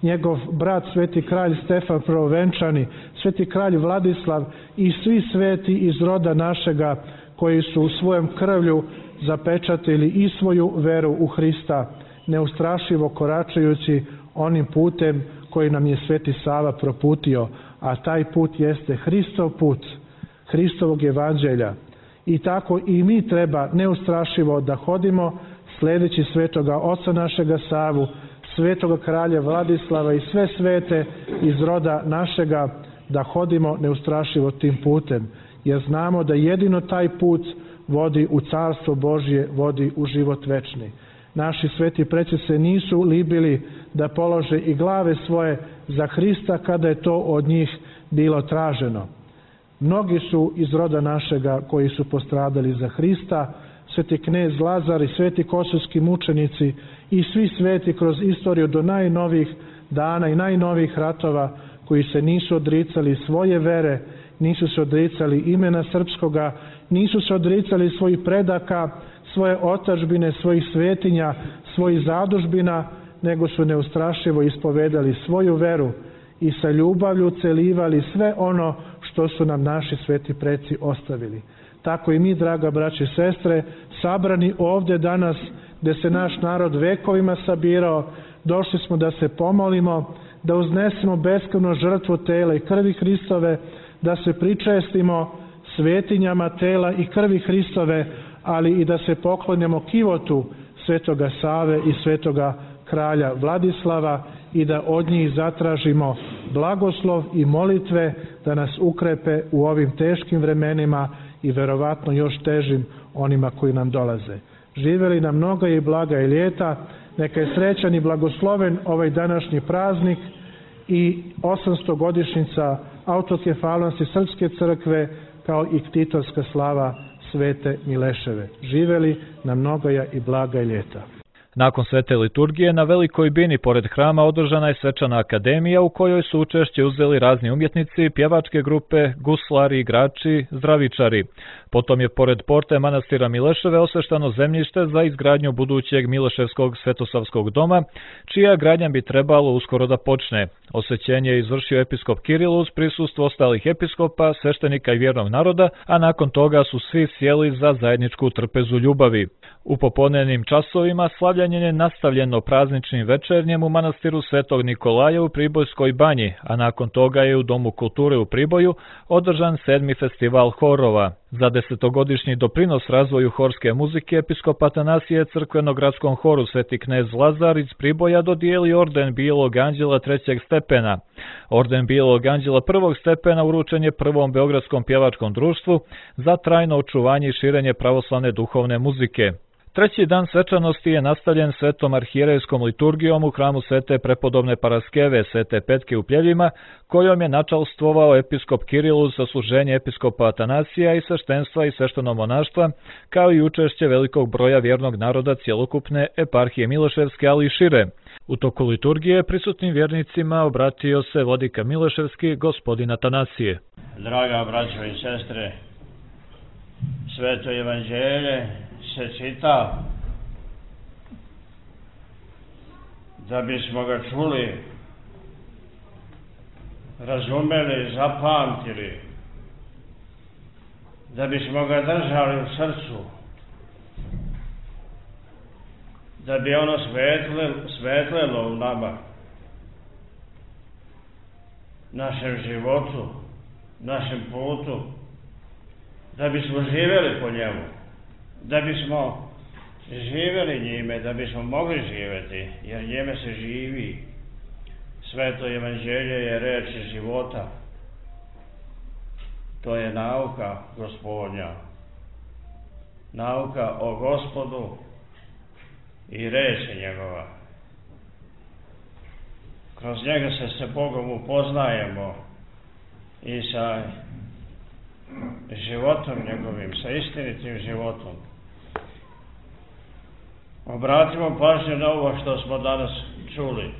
Speaker 4: njegov brat sveti kralj Stefan Prvovenčani, sveti kralj Vladislav i svi sveti iz roda našega koji su u svojem krvlju zapečatili i svoju veru u Hrista, neustrašivo koračajući onim putem koji nam je sveti Sava proputio, a taj put jeste Hristov put, Hristovog evanđelja. I tako i mi treba neustrašivo da hodimo sledeći svetoga oca našega Savu, svetoga kralja Vladislava i sve svete iz roda našega, da hodimo neustrašivo tim putem, jer znamo da jedino taj put vodi u carstvo Božje, vodi u život večni. Naši sveti preci se nisu libili da polože i glave svoje za Hrista kada je to od njih bilo traženo. Mnogi su iz roda našega koji su postradali za Hrista, sveti knez Lazar i sveti kosovski mučenici i svi sveti kroz istoriju do najnovih dana i najnovih ratova koji se nisu odricali svoje vere, nisu se odricali imena srpskoga, nisu se odricali svojih predaka, svoje otadžbine, svojih svetinja, svojih zadužbina, nego su neustrašivo ispovedali svoju veru i sa ljubavlju celivali sve ono što su nam naši sveti preci ostavili. Tako i mi, draga braće i sestre, sabrani ovde danas gde se naš narod vekovima sabirao, došli smo da se pomolimo, da uznesemo beskrvnu žrtvu tela i krvi Hristove, da se pričestimo svetinjama tela i krvi Hristove, ali i da se poklonimo kivotu svetoga Save i svetoga kralja Vladislava i da od njih zatražimo blagoslov i molitve da nas ukrepe u ovim teškim vremenima i verovatno još težim onima koji nam dolaze. Živeli nam mnoga i blaga i ljeta, neka je srećan i blagosloven ovaj današnji praznik i osamstogodišnjica autokefalnosti Srpske crkve kao i Ktitovska slava Svete Mileševe. Živeli nam mnoga i blaga i ljeta.
Speaker 1: Nakon svete liturgije na Velikoj bini pored hrama održana je svečana akademija u kojoj su učešće uzeli razni umjetnici, pjevačke grupe, guslari, igrači, zdravičari. Potom je pored porte manastira Mileševe osveštano zemljište za izgradnju budućeg Mileševskog svetosavskog doma, čija gradnja bi trebalo uskoro da počne. Osvećenje je izvršio episkop Kiril uz prisustvo ostalih episkopa, sveštenika i vjernog naroda, a nakon toga su svi sjeli za zajedničku trpezu ljubavi. U popodnevnim časovima slavljenje je nastavljeno prazničnim večernjem u manastiru Svetog Nikolaja u Pribojskoj banji, a nakon toga je u Domu kulture u Priboju održan sedmi festival horova. Za desetogodišnji doprinos razvoju horske muzike episkop Atanasije crkveno-gradskom horu Sveti knez Lazar iz Priboja dodijeli orden Bijelog anđela trećeg stepena. Orden Bijelog anđela prvog stepena uručen je prvom beogradskom pjevačkom društvu za trajno očuvanje i širenje pravoslavne duhovne muzike. Treći dan svečanosti je nastavljen svetom arhijerejskom liturgijom u hramu Svete prepodobne Paraskeve Svete Petke u Pljevljima, kojom je načalstvovao episkop Kiril uz sasluženje episkopa Atanasija i sveštenstva i sveštenomonaštva, kao i učešće velikog broja vjernog naroda cjelokupne eparhije Mileševske, ali i šire. U toku liturgije prisutnim vjernicima obratio se vladika Mileševski gospodin Atanasije.
Speaker 2: Draga braćo i sestre, Sveto evanđelje se čita da bismo ga čuli, razumeli, zapamtili, da bismo ga držali u srcu, da bi ono svetlilo, svetlilo u nama, našem životu, našem putu, da bismo živjeli po njemu, da bismo živjeli njime, da bismo mogli živjeti, jer njime se živi. Sveto evanđelje je reč života. To je nauka Gospodnja. Nauka o Gospodu i reči njegova. Kroz njega se sa Bogom upoznajemo i sa životom njegovim, sa istinitim životom. Obratimo pažnju na ovo što smo danas čuli,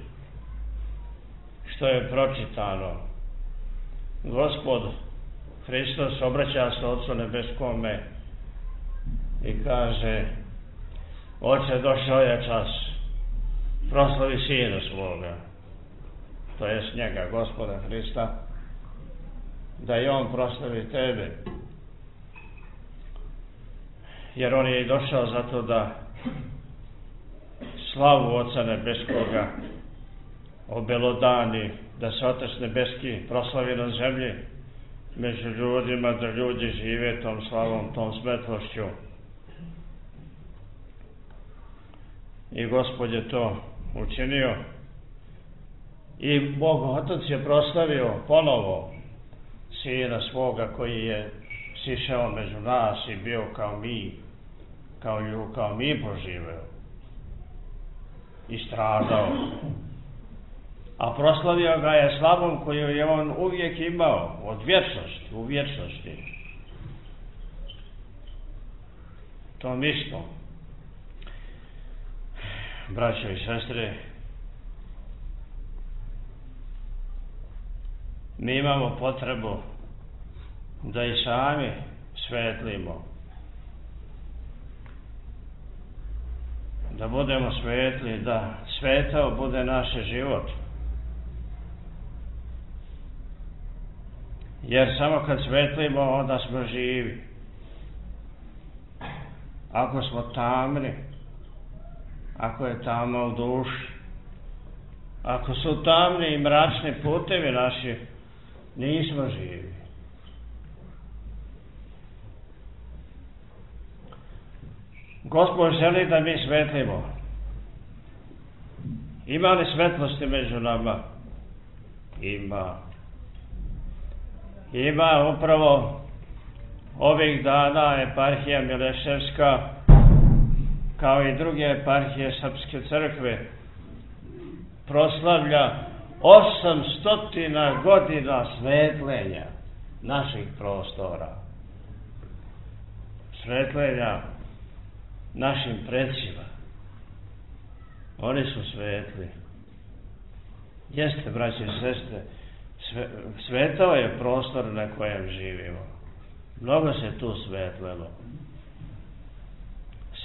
Speaker 2: što je pročitano. Gospod Hristos obraća se Otcu nebeskome i kaže: Oče, došao je čas, proslavi Sina svoga, to jest njega, Gospoda Hrista, da i on proslavi tebe, jer on je i došao zato da slavu Oca nebeskoga obelodani, da se Otac nebeski proslavi na zemlji među ljudima, da ljudi žive tom slavom, tom svetlošću. I Gospod je to učinio i Bog Otac je proslavio ponovo Sina svoga koji je sišao među nas i bio kao mi, kao, kao mi poživeo i stradao. A proslavio ga je slavom koju je on uvijek imao od vječnosti, u vječnosti. Tom istom. Braćo i sestre, mi imamo potrebu da i sami svetlimo, da budemo svetli, da svetao bude naš život. Jer samo kad svetlimo, onda smo živi. Ako smo tamni, ako je tama u duši, ako su tamni i mračni putevi naši, nismo živi. Gospod želi da mi svetlimo. Ima li svetlosti među nama? Ima. Ima upravo ovih dana eparhija Mileševska, kao i druge eparhije Srpske crkve, proslavlja osamstotina godina svetlenja naših prostora. Svetlenja našim predsima. Oni su svetli. Jeste, braće i sestre, sve, svetao je prostor na kojem živimo. Mnogo se tu svetlelo.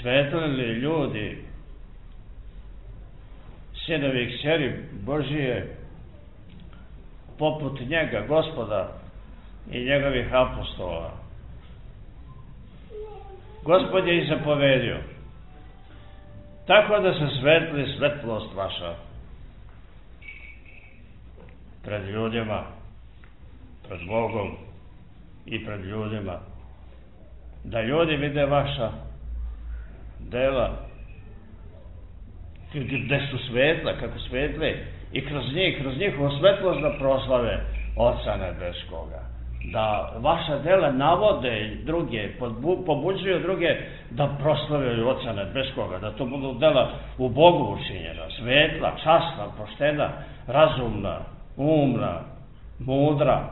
Speaker 2: Svetlili ljudi, sinovi i kćeri Božije, poput njega, Gospoda i njegovih apostola. Gospod je i zapovedio, tako da se svetli svetlost vaša pred ljudima, pred Bogom i pred ljudima, da ljudi vide vaša dela, gde su svetla, kako svetle, i kroz njih, kroz njihovu svetlost da proslave Oca Nebeskoga. Da vaša dela navode druge, pobuđuju druge da proslavljaju Oca Nebeskoga, da to budu dela u Bogu učinjena, svetla, časna, poštena, razumna, umna, mudra,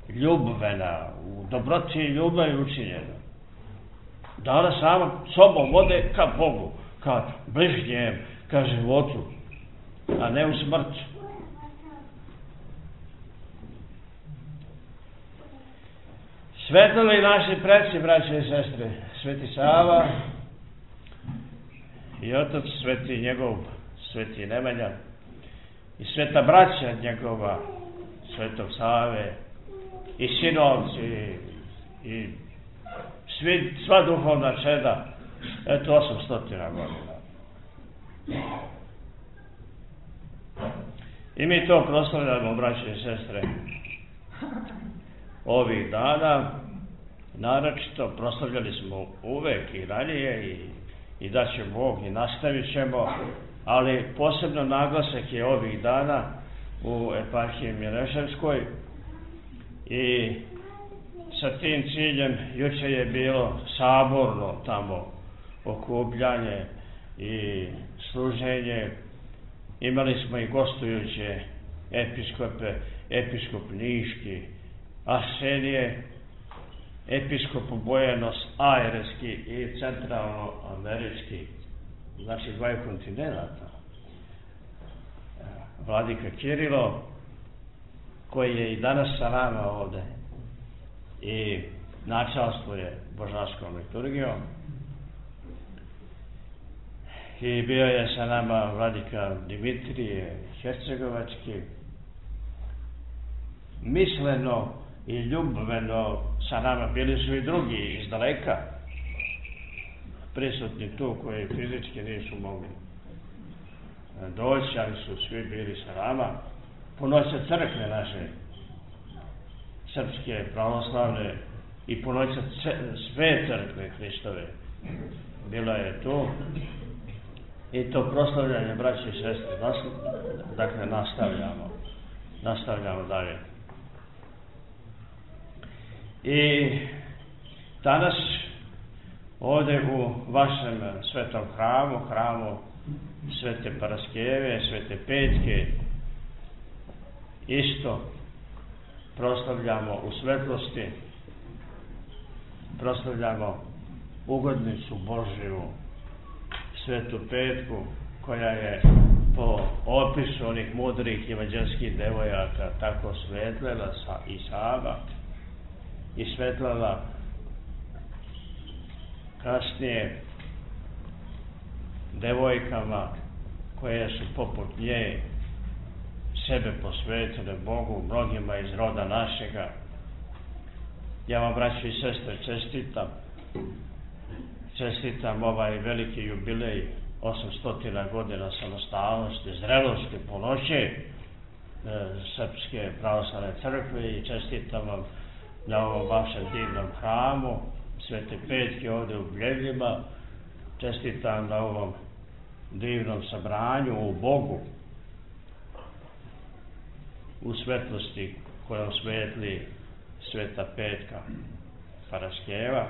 Speaker 2: ljubvena, u dobroti i ljubavi učinjena. Da ona sama sobom vode ka Bogu, ka bližnjem, ka životu, a ne u smrt. Svetlili naši preci, braće i sestre, Sveti Sava i otac Sveti njegov, Sveti Nemanja, i sveta braća njegova, Svetog Save, i sinovci, i svi, sva duhovna čeda, eto osamstotina godina. I mi to proslavljamo, braće i sestre, ovih dana. Naročito proslavljali smo uvek i ranije, i, i da će Bog i nastavit ćemo, ali posebno naglasak je ovih dana u eparhiji Mileševskoj, i sa tim ciljem juče je bilo saborno tamo okupljanje i služenje. Imali smo i gostujuće episkope, episkop Niški, Arsenije, episkop Buenos Aireski i centralnoamerički, znači dvaju kontinenta, vladika Kirilo, koji je i danas sa nama ovde i načastvuje božanskom liturgijom, i bio je sa nama vladika Dimitrije Hercegovački. Misleno i ljubveno sa nama bili su i drugi iz daleka prisutni tu, koji fizički nisu mogli doći, ali su svi bili sa nama. Punoća crkve naše, srpske, pravoslavne, i punoća sve crkve Hristove bila je tu. I to proslavljanje, braće i sestre, dakle nastavljamo, nastavljamo dalje. I danas ovde u vašem svetom hramu, hramu Svete Paraskeve, Svete Petke, isto proslavljamo u svetlosti, proslavljamo ugodnicu Božiju, Svetu Petku, koja je po opisu onih mudrih evanđelskih devojaka tako svetlela i sama, i svetlala kasnije devojkama koje su poput nje sebe posvetile Bogu, mnogima iz roda našega. Ja vam, braći i sestre, čestitam. Čestitam ovaj veliki jubilej, osamstotina godina samostalnosti, zrelosti, punoće e, Srpske pravoslavne crkve, i čestitam vam na ovom vašem divnom hramu Svete Petke ovde u Bljevljima, čestitam na ovom divnom sabranju u Bogu, u svetlosti kojom svetli Sveta Petka Paraskeva,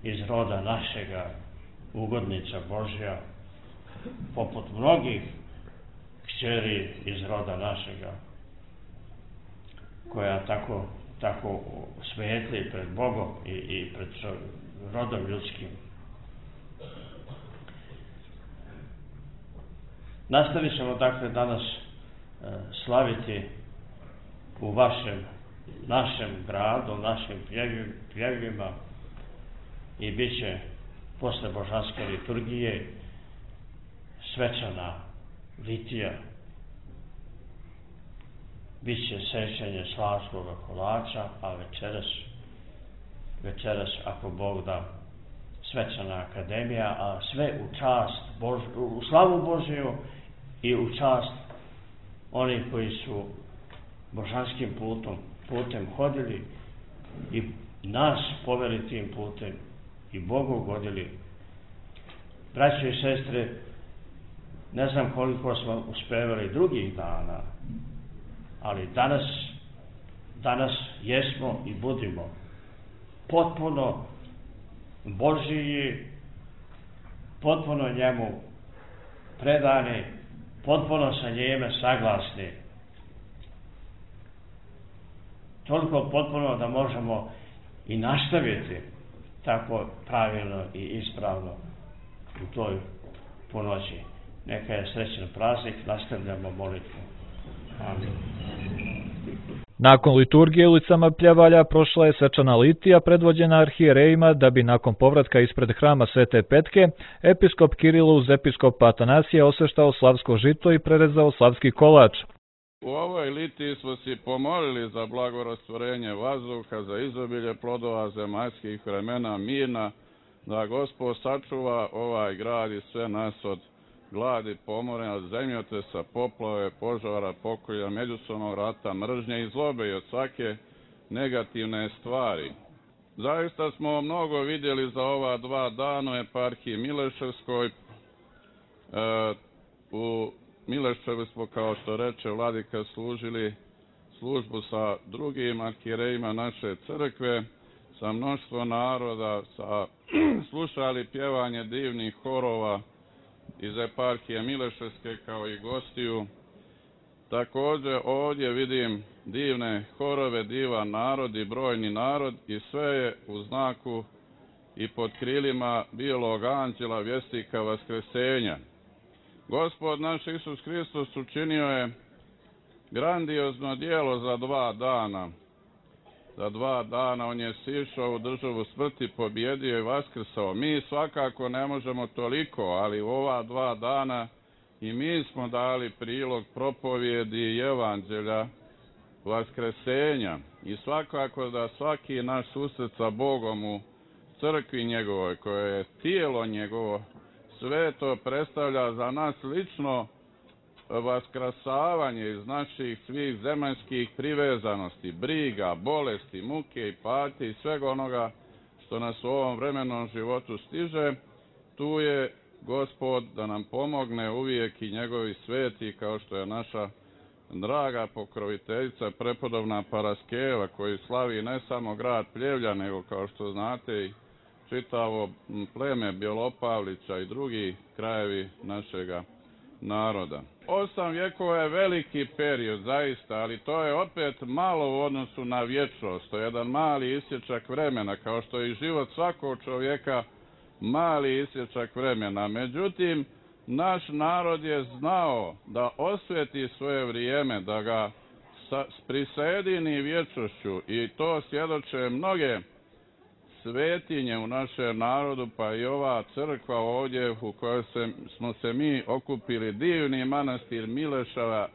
Speaker 2: iz roda našega, ugodnica Božja, poput mnogih kćeri iz roda našega, koja tako, tako svetli pred Bogom i, i pred rodom ljudskim. Nastavit ćemo dakle danas e, slaviti u vašem, našem gradu, našim pjevima i bit će posle božanske liturgije svečana litija. Biće sečenje slavskog kolača, a večeras, večeras, ako Bog da, svečana akademija, a sve u čast, Bož, u slavu Božiju i u čast onih koji su božanskim putom, putem hodili i nas poveli tim putem i Bogu ugodili. Braćo i sestre, ne znam koliko smo uspevali drugih dana, ali danas, danas jesmo i budimo potpuno Božiji, potpuno njemu predani, potpuno sa njime saglasni. Toliko potpuno da možemo i nastaviti tako pravilno i ispravno u toj ponoći. Neka je srećan praznik, nastavljamo molitvu. Amin.
Speaker 1: Nakon liturgije ulicama Pljevalja prošla je svečana litija predvođena arhijerejima da bi nakon povratka ispred hrama Svete Petke episkop Kirilo uz episkopa Atanasija osveštao slavsko žito i prerezao slavski kolač.
Speaker 5: U ovoj litiji smo se pomolili za blagorastvorenje vazduha, za izobilje plodova zemaljskih vremena mirna, da Gospod sačuva ovaj grad i sve nas od gladi, pomore, od zemljotresa, poplave, požara, pokolja, međusobnog rata, mržnje i zlobe i od svake negativne stvari. Zaista smo mnogo vidjeli za ova dva dana u eparhiji Mileševskoj. E, u Mileševu smo, kao što reče vladika, služili službu sa drugim arhijerejima naše crkve, sa mnoštvo naroda, sa slušali pjevanje divnih horova iz eparhije Mileševske kao i gostiju. Također ovdje vidim divne horove, divan narod i brojni narod i sve je u znaku i pod krilima bijelog anđela vjesnika Vaskresenja. Gospod naš Isus Hristos učinio je grandiozno djelo za dva dana. Za dva dana on je sišao u državu smrti, pobjedio i vaskrsao. Mi svakako ne možemo toliko, ali u ova dva dana i mi smo dali prilog propovjedi i evanđelja Vaskresenja. I svakako da svaki naš susret sa Bogom u crkvi njegovoj, koje je tijelo njegovo, sve to predstavlja za nas lično vaskrasavanje iz naših svih zemaljskih privezanosti, briga, bolesti, muke i patnje i svega onoga što nas u ovom vremenom životu stiže. Tu je Gospod da nam pomogne uvijek i njegovi sveti, kao što je naša draga pokroviteljica prepodobna Paraskeva, koji slavi ne samo grad Pljevlja, nego kao što znate i čitavo pleme Bjelopavlića i drugi krajevi našega naroda. Osam vjekova je veliki period, zaista, ali to je opet malo u odnosu na vječnost. To je jedan mali isječak vremena, kao što je i život svakog čovjeka mali isječak vremena. Međutim, naš narod je znao da osveti svoje vrijeme, da ga prisajedini vječnošću i to svjedoče mnoge svetinje u našem narodu, pa i ova crkva ovdje u kojoj se, smo se mi okupili, divni manastir Mileševa,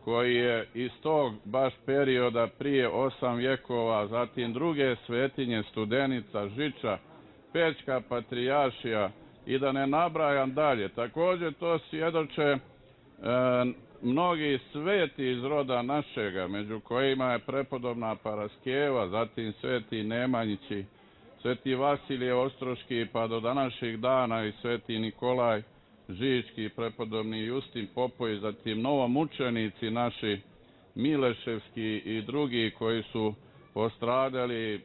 Speaker 5: koji je iz tog baš perioda prije osam vjekova, zatim druge svetinje Studenica, Žiča, Pećka patrijaršija i da ne nabrajam dalje. Također to svjedoče e, mnogi sveti iz roda našega, među kojima je prepodobna Paraskeva, zatim sveti Nemanjići Sveti Vasilije Ostroški pa do današnjih dana i Sveti Nikolaj Žički, prepodobni Justin Popoj, zatim novomučenici naši Mileševski i drugi koji su postradali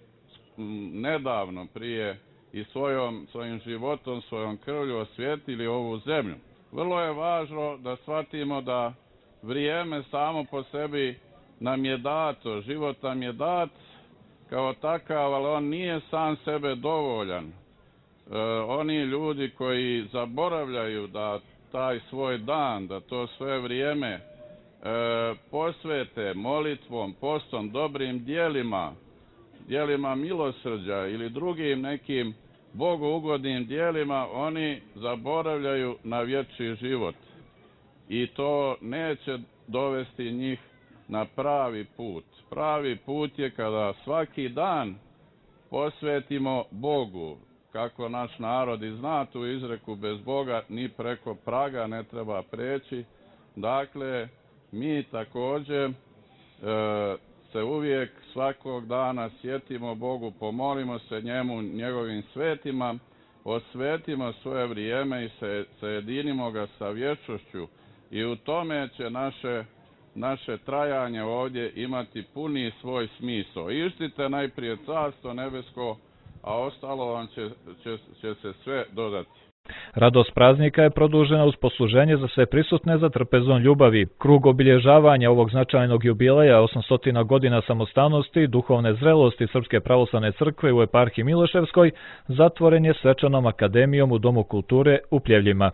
Speaker 5: nedavno prije i svojom, svojim životom, svojom krvlju osvijetili ovu zemlju. Vrlo je važno da shvatimo da vrijeme samo po sebi nam je dato, život nam je dat kao takav, ali on nije sam sebe dovoljan. E, oni ljudi koji zaboravljaju da taj svoj dan, da to sve vrijeme e, posvete molitvom, postom, dobrim dijelima, dijelima milosrđa ili drugim nekim bogougodnim dijelima, oni zaboravljaju na vječni život. I to neće dovesti njih na pravi put. Pravi put je kada svaki dan posvetimo Bogu, kako naš narod i zna tu izreku, bez Boga ni preko praga ne treba preći. Dakle, mi također e, se uvijek svakog dana sjetimo Bogu, pomolimo se njemu, njegovim svetima, osvetimo svoje vrijeme i se, sajedinimo ga sa vječnošću. I u tome će naše, naše trajanje ovdje imati puni svoj smisao. Ištite najprije Carstvo nebesko, a ostalo vam će, će, će se sve dodati.
Speaker 1: Radost praznika je produžena uz posluženje za sve prisutne za trpezom ljubavi. Krug obilježavanja ovog značajnog jubileja osamsto godina samostalnosti i duhovne zrelosti Srpske pravoslavne crkve u eparhiji Mileševskoj zatvoren je svečanom akademijom u Domu kulture u Pljevljima.